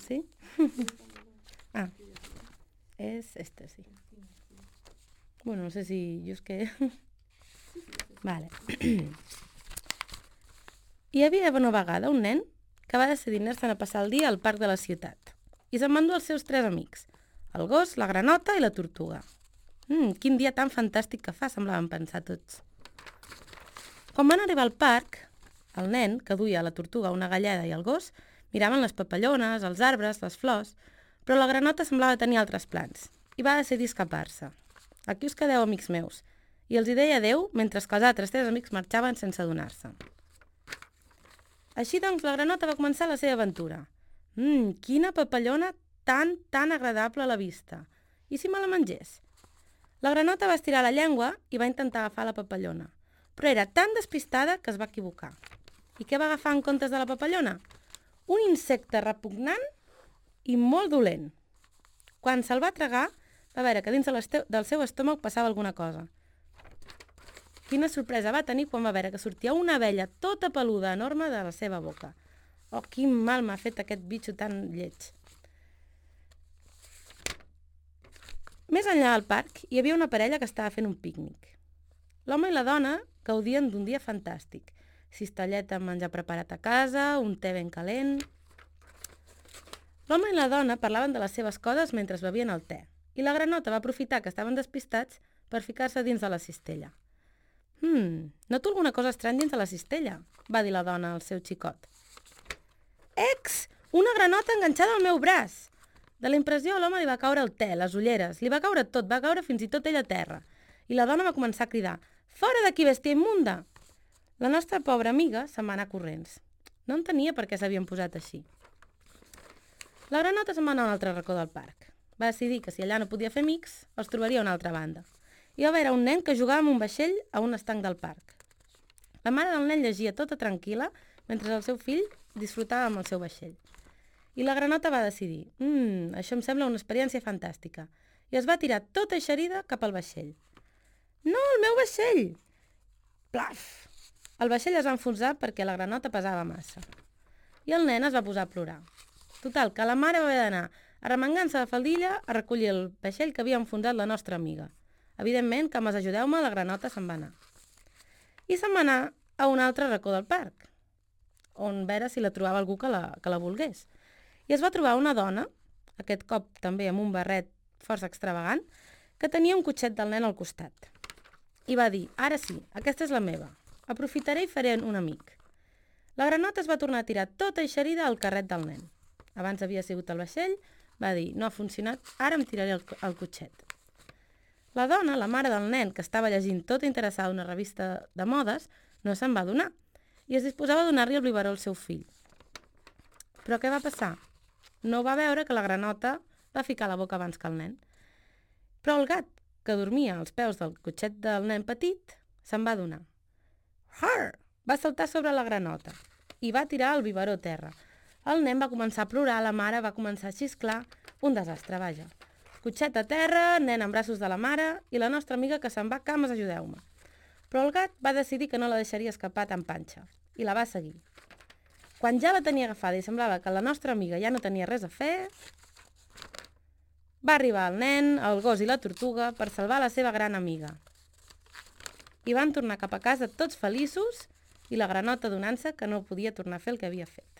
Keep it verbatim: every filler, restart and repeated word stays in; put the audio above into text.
Sí? Ah, és este, sí. Bueno, no sé si jo és que... Vale. Hi havia una vegada un nen que va decidir anar-se'n a passar el dia al parc de la ciutat i se'n va endur els seus tres amics, el gos, la granota i la tortuga. Mm, quin dia tan fantàstic que fa, semblaven pensar tots. Quan van arribar al parc, el nen, que duia la tortuga, una galleda i el gos, miraven les papallones, els arbres, les flors, però la granota semblava tenir altres plans i va decidir escapar-se. Aquí us quedeu, amics meus, i els hi deia adeu mentre que els altres tres amics marxaven sense adonar-se. Així doncs, la granota va començar la seva aventura. Mmm, quina papallona tan, tan agradable a la vista. I si me la mengés? La granota va estirar la llengua i va intentar agafar la papallona, però era tan despistada que es va equivocar. I què va agafar en comptes de la papallona? Un insecte repugnant i molt dolent. Quan se'l va tragar, va veure que dins del seu estómac passava alguna cosa. Quina sorpresa va tenir quan va veure que sortia una abella tota peluda enorme de la seva boca. Oh, quin mal m'ha fet aquest bitxo tan lleig. Més enllà del parc hi havia una parella que estava fent un pícnic. L'home i la dona gaudien d'un dia fantàstic. Cistelleta amb menjar preparat a casa, un te ben calent... L'home i la dona parlaven de les seves coses mentre bevien el te, i la granota va aprofitar que estaven despistats per ficar-se dins de la cistella. «Hmm, noto alguna cosa estrany dins de la cistella», va dir la dona al seu xicot. «Ex! Una granota enganxada al meu braç!» De la impressió a l'home li va caure el te, les ulleres, li va caure tot, va caure fins i tot ell a terra. I la dona va començar a cridar «Fora d'aquí, bèstia immunda!» La nostra pobra amiga se'n va anar corrents. No entenia per què s'havien posat així. La granota se'n va anar a un altre racó del parc. Va decidir que si allà no podia fer amics, els trobaria a una altra banda. I va veure un nen que jugava amb un vaixell a un estanc del parc. La mare del nen llegia tota tranquil·la mentre el seu fill disfrutava amb el seu vaixell. I la granota va decidir «Mmm, això em sembla una experiència fantàstica» i es va tirar tota eixerida cap al vaixell. «No, el meu vaixell!» Plaf! El vaixell es va enfonsar perquè la granota pesava massa. I el nen es va posar a plorar. Total, que la mare va haver d'anar arremangant-se la faldilla a recollir el vaixell que havia enfonsat la nostra amiga. Evidentment, que amb els ajudeu-me, la granota se'n va anar. I se'n va anar a un altre racó del parc, on veure si la trobava algú que la, que la volgués. I es va trobar una dona, aquest cop també amb un barret força extravagant, que tenia un cotxet del nen al costat. I va dir, ara sí, aquesta és la meva. Aprofitaré i faré un amic. La granota es va tornar a tirar tota eixerida al carret del nen. Abans havia sigut el vaixell, va dir, no ha funcionat, ara em tiraré el, el cotxet. La dona, la mare del nen, que estava llegint tota interessada una revista de modes, no se'n va adonar i es disposava a donar-li el biberó al seu fill. Però què va passar? No va veure que la granota va ficar la boca abans que el nen. Però el gat, que dormia als peus del cotxet del nen petit, se'n va adonar. Har! Va saltar sobre la granota i va tirar el biberó a terra. El nen va començar a plorar, la mare va començar a xisclar, un desastre, vaja. Cotxet a terra, nen en braços de la mare i la nostra amiga que se'n va, cames, ajudeu-me. Però el gat va decidir que no la deixaria escapar tan panxa i la va seguir. Quan ja la tenia agafada i semblava que la nostra amiga ja no tenia res a fer, va arribar el nen, el gos i la tortuga per salvar la seva gran amiga. I van tornar cap a casa tots feliços i la granota donant-se que no podia tornar a fer el que havia fet.